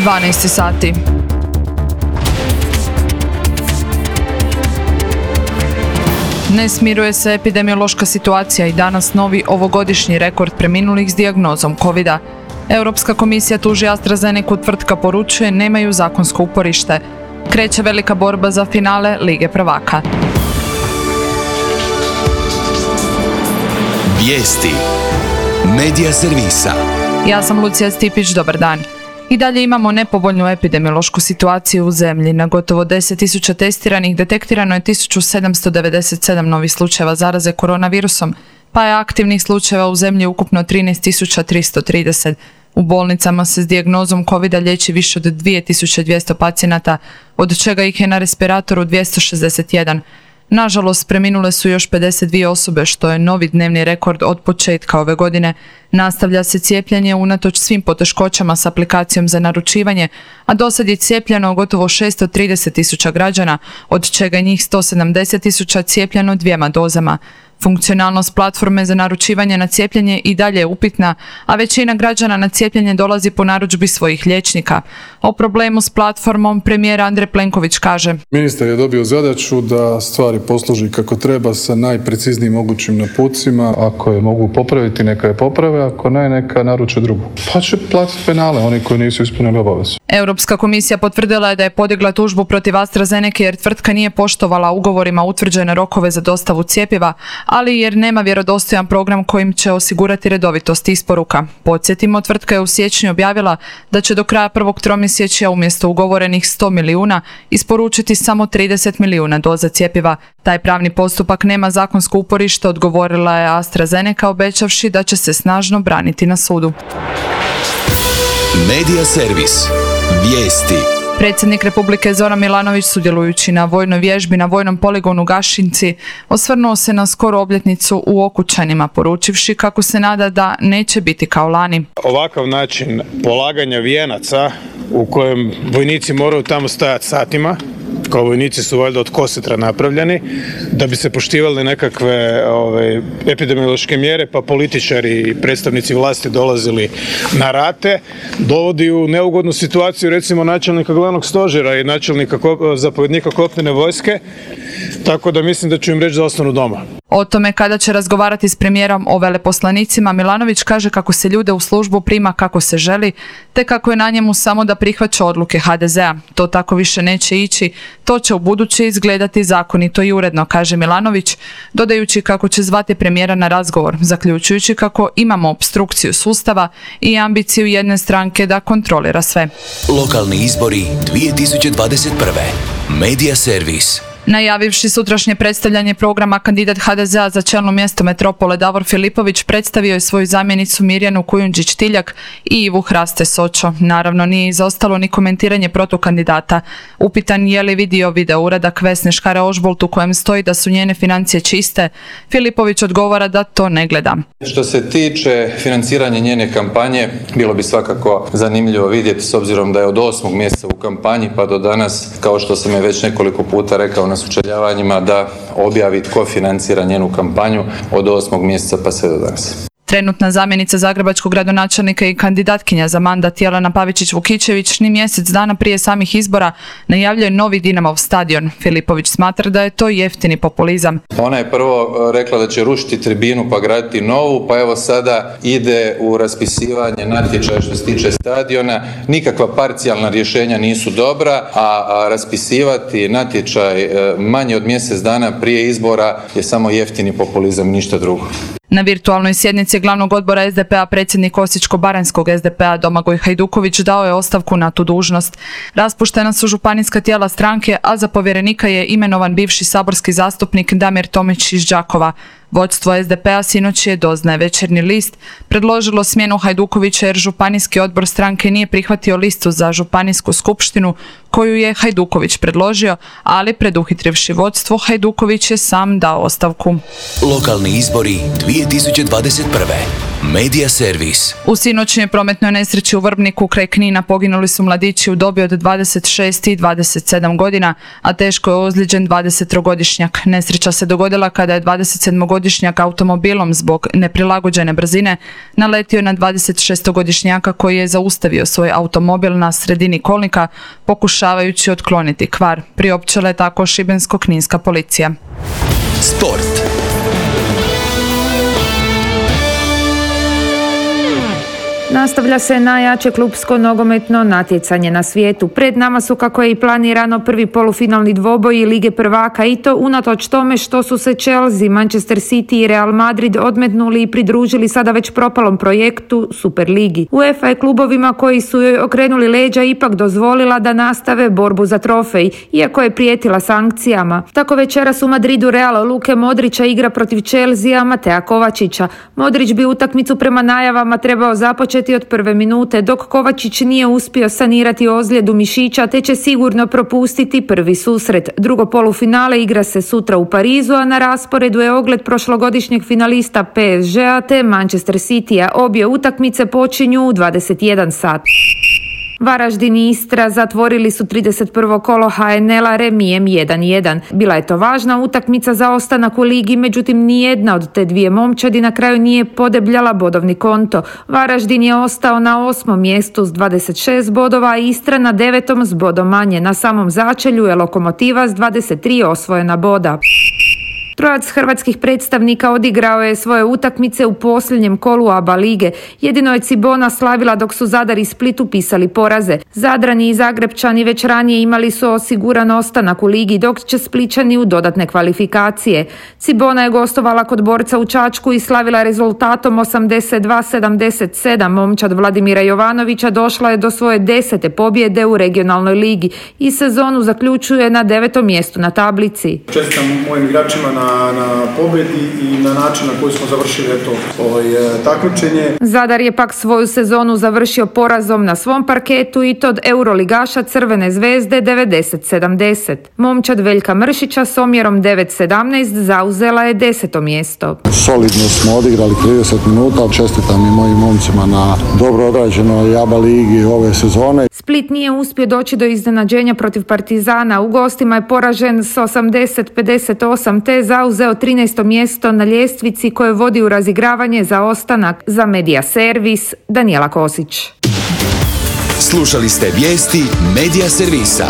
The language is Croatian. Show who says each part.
Speaker 1: 12 sati. Ne smiruje se epidemiološka situacija i danas novi ovogodišnji rekord preminulih s dijagnozom COVID-a. Europska komisija tuži AstraZenecu, tvrtka poručuje nemaju zakonsko uporište. Kreće velika borba za finale Lige prvaka.
Speaker 2: Vijesti Medija servisa.
Speaker 1: Ja sam Lucija Stipić, dobar dan. I dalje imamo nepovoljnu epidemiološku situaciju u zemlji. Na gotovo 10.000 testiranih detektirano je 1797 novih slučajeva zaraze koronavirusom, pa je aktivnih slučajeva u zemlji ukupno 13.330. U bolnicama se s dijagnozom COVID-a liječi više od 2200 pacijenata, od čega ih je na respiratoru 261. Nažalost, preminule su još 52 osobe, što je novi dnevni rekord od početka ove godine. Nastavlja se cijepljenje unatoč svim poteškoćama s aplikacijom za naručivanje, a dosad je cijepljeno gotovo 630.000 građana, od čega je njih 170.000 cijepljeno 2 dozama. Funkcionalnost platforme za naručivanje na cijepljenje i dalje je upitna, a većina građana na cijepljenje dolazi po narudžbi svojih liječnika. O problemu s platformom premijer Andrej Plenković kaže:
Speaker 3: Ministar je dobio zadaću da stvari posloži kako treba sa najpreciznijim mogućim napucima. Ako je mogu popraviti, neka je poprave, ako ne, neka naruče drugu. Pa će platiti penale oni koji nisu ispunili obavezu.
Speaker 1: Europska komisija potvrdila je da je podigla tužbu protiv AstraZenece jer tvrtka nije poštovala ugovorima utvrđene rokove za dostavu cjepiva, ali jer nema vjerodostojan program kojim će osigurati redovitost isporuka. Podsjetimo, tvrtka je u siječnju objavila da će do kraja prvog tromjesečja umjesto ugovorenih 100 milijuna isporučiti samo 30 milijuna doza cjepiva. Taj pravni postupak nema zakonsko uporište, odgovorila je AstraZeneca, obećavši da će se snažno braniti na sudu.
Speaker 2: Medija servis. Vijesti.
Speaker 1: Predsjednik Republike Zoran Milanović, sudjelujući na vojnoj vježbi na vojnom poligonu Gašinci, osvrnuo se na skoru obljetnicu u Okučanima, poručivši kako se nada da neće biti kao lani.
Speaker 4: Ovakav način polaganja vijenaca u kojem vojnici moraju tamo stajati satima, kao vojnici su valjda od kosetra napravljeni, da bi se poštivali nekakve epidemiološke mjere, pa političari i predstavnici vlasti dolazili na rate, dovodi u neugodnu situaciju recimo načelnika glavnog stožera i načelnika zapovjednika kopnene vojske, tako da mislim da ću im reći da ostanu doma.
Speaker 1: O tome kada će razgovarati s premijerom o veleposlanicima, Milanović kaže kako se ljude u službu prima kako se želi, te kako je na njemu samo da prihvaća odluke HDZ-a. To tako više neće ići, to će ubuduće izgledati zakonito i uredno, kaže Milanović, dodajući kako će zvati premijera na razgovor, zaključujući kako imamo opstrukciju sustava i ambiciju jedne stranke da kontrolira sve.
Speaker 2: Lokalni izbori 2021. Medija servis.
Speaker 1: Najavivši sutrašnje predstavljanje programa, kandidat HDZ-a za čelno mjesto metropole Davor Filipović predstavio je svoju zamjenicu Mirjanu Kujundžić-Tiljak i Ivu Hraste Sočo. Naravno, nije izostalo ni komentiranje protukandidata. Upitan je li vidio video uradak Vesne Škare-Ožbolt u kojem stoji da su njene financije čiste, Filipović odgovara da to ne gleda.
Speaker 5: Što se tiče financiranja njene kampanje, bilo bi svakako zanimljivo vidjeti, s obzirom da je od 8. mjeseca u kampanji pa do danas, kao što sam je već nekoliko puta rekao na sučeljavanjima, da objavi tko financira njenu kampanju od 8. mjeseca pa sve do danas.
Speaker 1: Trenutna zamjenica zagrebačkog gradonačelnika i kandidatkinja za mandat Jelena Pavičić-Vukičević ni mjesec dana prije samih izbora najavljuje novi Dinamov stadion. Filipović smatra da je to jeftini populizam.
Speaker 5: Ona je prvo rekla da će rušiti tribinu pa graditi novu, pa evo sada ide u raspisivanje natječaja što se tiče stadiona. Nikakva parcijalna rješenja nisu dobra, a raspisivati natječaj manje od mjesec dana prije izbora je samo jeftini populizam, ništa drugo.
Speaker 1: Na virtualnoj sjednici glavnog odbora SDP-a predsjednik Osječko-baranjskog SDP-a Domagoj Hajduković dao je ostavku na tu dužnost. Raspuštena su županijska tijela stranke, a za povjerenika je imenovan bivši saborski zastupnik Damir Tomić iz Đakova. Vodstvo SDP-a sinoć je, doznaje Večernji list, predložilo smjenu Hajdukovića jer županijski odbor stranke nije prihvatio listu za županijsku skupštinu koju je Hajduković predložio, ali preduhitrivši vodstvo, Hajduković je sam dao ostavku.
Speaker 2: Lokalni izbori 2021. Medija servis.
Speaker 1: U sinoćnjoj prometnoj nesreći u Vrbniku kraj Knina poginuli su mladići u dobi od 26 i 27 godina, a teško je ozlijeđen 23-godišnjak. Nesreća se dogodila kada je 27-godišnjak 17-godišnjak automobilom zbog neprilagođene brzine naletio na 26-godišnjaka koji je zaustavio svoj automobil na sredini kolnika pokušavajući otkloniti kvar. Priopćila je tako šibensko-kninska policija.
Speaker 2: Sport.
Speaker 6: Nastavlja se najjače klupsko nogometno natjecanje na svijetu. Pred nama su, kako je i planirano, prvi polufinalni dvoboji Lige prvaka, i to unatoč tome što su se Chelsea, Manchester City i Real Madrid odmetnuli i pridružili sada već propalom projektu Superligi. UEFA je klubovima koji su joj okrenuli leđa ipak dozvolila da nastave borbu za trofej, iako je prijetila sankcijama. Tako večeras u Madridu Real Luke Modrića igra protiv Chelsea Matea Kovačića. Modrić bi utakmicu prema najavama trebao započeti od prve minute, dok Kovačić nije uspio sanirati ozljedu mišića, te će sigurno propustiti prvi susret. Drugo polufinale igra se sutra u Parizu, a na rasporedu je ogled prošlogodišnjeg finalista PSG-a te Manchester City-a. Obje utakmice počinju u 21 sat. Varaždin i Istra zatvorili su 31. kolo HNL-a remijem 1-1. Bila je to važna utakmica za ostanak u ligi, međutim nijedna od te dvije momčadi na kraju nije podebljala bodovni konto. Varaždin je ostao na 8. mjestu s 26 bodova, a Istra na 9. s bodom manje. Na samom začelju je Lokomotiva s 23 osvojena boda. Trojac hrvatskih predstavnika odigrao je svoje utakmice u posljednjem kolu ABA lige. Jedino je Cibona slavila dok su Zadar i Split upisali poraze. Zadrani i Zagrebčani već ranije imali su osiguran ostanak u ligi, dok će Splićani u dodatne kvalifikacije. Cibona je gostovala kod Borca u Čačku i slavila rezultatom 82-77. Momčad Vladimira Jovanovića došla je do svoje 10. pobjede u regionalnoj ligi i sezonu zaključuje na 9. mjestu na tablici.
Speaker 7: Čestitam mojim igračima na pobjedi i na način na koji smo završili takmičenje.
Speaker 6: Zadar je pak svoju sezonu završio porazom na svom parketu i to od euroligaša Crvene zvezde 90-70. Momčad Veljka Mršića s omjerom 9-17 zauzela je 10. mjesto.
Speaker 8: Solidno smo odigrali 30 minuta, ali čestitam i mojim momcima na dobro odrađenoj ABA ligi ove sezone.
Speaker 6: Split nije uspio doći do iznenađenja protiv Partizana. U gostima je poražen s 80-58 te zauzeo 13. mjesto na ljestvici koje vodi u razigravanje za ostanak. Za Media Servis, Danijela Kosić.
Speaker 2: Slušali ste vijesti Media Servisa.